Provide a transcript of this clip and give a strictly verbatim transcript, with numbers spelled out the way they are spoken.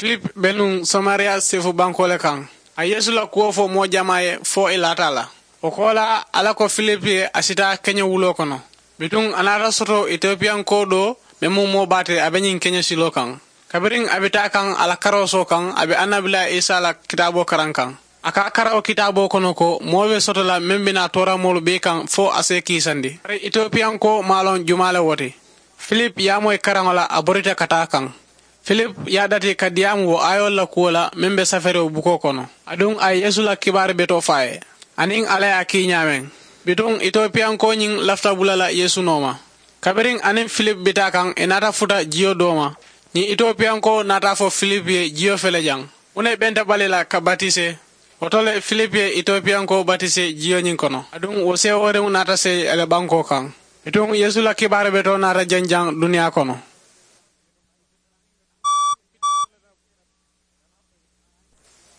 Filip be nuŋ samariya seefu bankoo le kaŋ. A yeesu la kuwo fo moo jamaa ye fo ì laata a la. Wo koolaa alla ko filip ye a si taa keñewuloo kono. Bituŋ a naata soto etiyopiyankoo doo meŋ mu moo baa ti a be ñiŋ keñesiloo kaŋ. Kabiriŋ a be taa kaŋ a la karoosoo kaŋ a be annabilaa isa la kitaaboo karaŋ kaŋ. A ka a kara wo kitaaboo kono ko moo be soto la meŋ be naa tooramoolu bee kaŋ fo a si i kiisandi. Bari etiyopiyankoo maŋ a loŋ jumaa le wo ti. Filip ye a moyi karaŋo la a borita ka taa kaŋ. Filip ye a dati ka diyaamu wo aayoolu la kuwo la meŋ be safeeriwo bukoo kono. Aduŋ a ye yeesu la kibaari betoo fo a ye aniŋ alla ye a kii ñaameŋ. Bituŋ etiyopiyankoo ñiŋ lafita bula la yeesu nooma. Kabiriŋ aniŋ filip be taa kaŋ ì naata futa jiyo doo ma. Ñiŋ etiyopiyankoo naata a fo filip ye jiyo fele jaŋ. Muŋ ne i benta bali la ka batisee? Wo to le filip ye etiyopiyankoo batisee jiyo ñiŋ kono aduŋ wo seewooriŋo naata seyi a la bankoo kaŋ. Bituŋ yeesu la kibaari betoo naata janjaŋ duniyaa kono.